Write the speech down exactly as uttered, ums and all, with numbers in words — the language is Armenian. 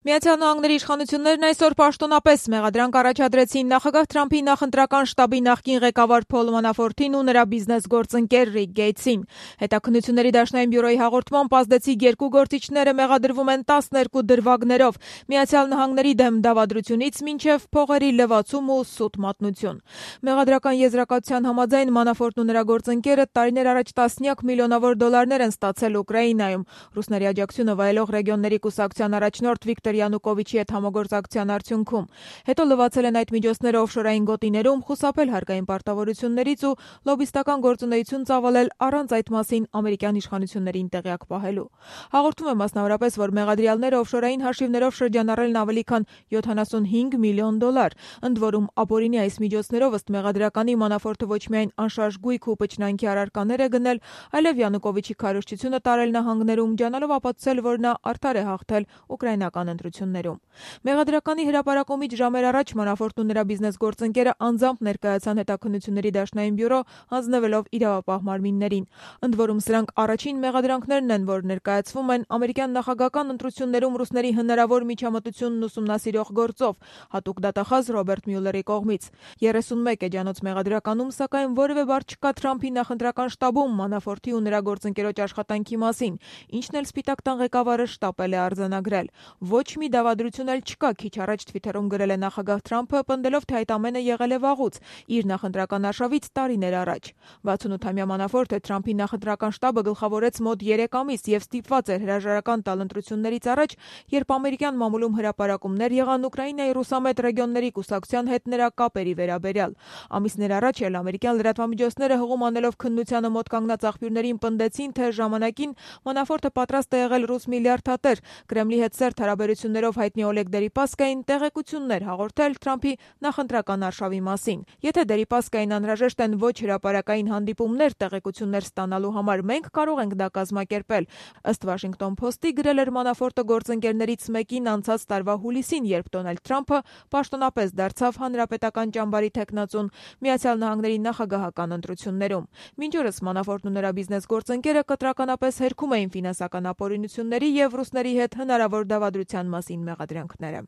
Միացյալ Նահանգների իշխանություններն այսօր պաշտոնապես մեղադրանք առաջադրեցին նախագահ Թրամփի նախընտրական շտաբի նախկին ղեկավար Փոլ Մանաֆորտին ու նրա բիզնես գործընկեր Ռիկ Գեյթսին։ Հետաքննությունների դաշնային բյուրոյի հաղորդմամբ ազդեցիկ երկու գործիչները մեղադրվում են տասներկու դրվագներով՝ Միացյալ Նահանգների դեմ դավադրությունից մինչև փողերի լվացում ու սուտ մատնություն։ Մեղադրական եզրակացության համաձայն Մանաֆորտն ու նրա գործընկերը տարիներ առաջ տասնյակ միլիոնավոր դոլարներ են ստացել Ուկրաինայում ռուսների աջակցությունը վայելող ռեգիոնների կուսակցության առաջնորդ Վիկտոր Յանուկովիչի հետ համագործակցության արդյունքում։ Հետո լվացել են այդ միջոցները օֆշորային գոտիներում, խուսափել հարկային պարտավորություններից ու լոբիստական գործունեություն ծավալել առանց այդ մասին ամերիկյան իշխանություններին տեղյակ պահելու։ Հաղորդում է մասնավորապես, որ մեղադրյալները օֆշորային հաշիվներով շրջանառել են ավելի քան յոթանասունհինգ միլիոն դոլար, ընդ որում ապօրինի այս միջոցներով ըստ մեղադրականի Մանաֆորտը ոչ միայն անշարժ գույք ու պչնանքի առարկաներ է գնել, այլև Յանուկովիչի քարոզչությունը տարել նահանգներում, ջանալով ապացուցել, որ նա արդար է հաղթել ուկրաինական ընտրություններում։ Մեղադրականի հրապարակումից ժամեր առաջ Մանաֆորտն ու նրա բիզնես գործընկերը անձամբ ներկայացան հետաքննությունների դաշնային բյուրո, հանձնվելով իրավապահ մարմիններին։ Ընդ որում սրանք առաջին մեղադրանքներն են, որ ներկայացվում են ամերիկյան նախագահական ընտրություններում ռուսների հնարավոր միջամտությունն ուսումնասիրող գործով, հատուկ դատախազ Ռոբերտ Մյուլլերի կողմից։ երեսունմեկ էջանոց մեղադրականում, սակայն որևէ բառ չկա Թրամփի նախընտրական շտաբում Մանաֆորտի ու նրա գործընկերոջ աշխատանքի մասին, ինչն էլ Սպիտակ տան ղեկավարը շտապել է արձանագրել։ Ոչ մի դավադրություն էլ չկա, քիչ առաջ Թվիթերում գրել է նախագահ Թրամփը, պնդելով, թե այդ ամենը եղել է վաղուց, իր նախընտրական արշավից տարիներ առաջ։ վաթսունութամյա Մանաֆորտը Թրամփի նախընտրական շտաբը գլխավորեց մոտ երեք ամիս եւ ստիպված էր հրաժարական տալ ընտրություններից առաջ, երբ ամերիկյան մամուլում հրապարակումներ եղան Ուկրաինայի ռուսամետ ռեգիոնների կուսակցության հետ նրա կապերի վերաբերյալ։ Ամիսներ առաջ էլ ամերիկյան լրատվամիջոցները հղում անելով քննությանը մոտ կանգնած աղբյուրներին պնդեցին, թե ժամանակին Մանաֆորտը պատրաստ է եղել ռուս միլիարդատեր Կրեմլի հետ սերտ հարաբերություններով հայտնի Օլեգ Դերիպասկային տեղեկություններ հաղորդել Թրամփի նախընտրական արշավի մասին։ Եթե Դերիպասկային անհրաժեշտ են ոչ հրապարակային հանդիպումներ տեղեկություններ ստանալու համար, մենք կարող ենք դա կազմակերպել, ըստ Washington Post-ի գրել էր Մանաֆորտը գործընկերներից մեկին անցած տարվա հուլիսին, երբ Դոնալդ Թրամփը պաշտոնապես դարձավ հանրապետական ճամբարի թեկնածուն Միացյալ Նահանգների նախագահական ընտրություններում։ Մինչ օրս Մանաֆորտն ու նրա բիզնես գործընկերը կտրականապես հերքում էին ֆինանսական ապօրինությունների եւ ռուսների հետ հնարավոր դավադրության մասին մեղադրանքները։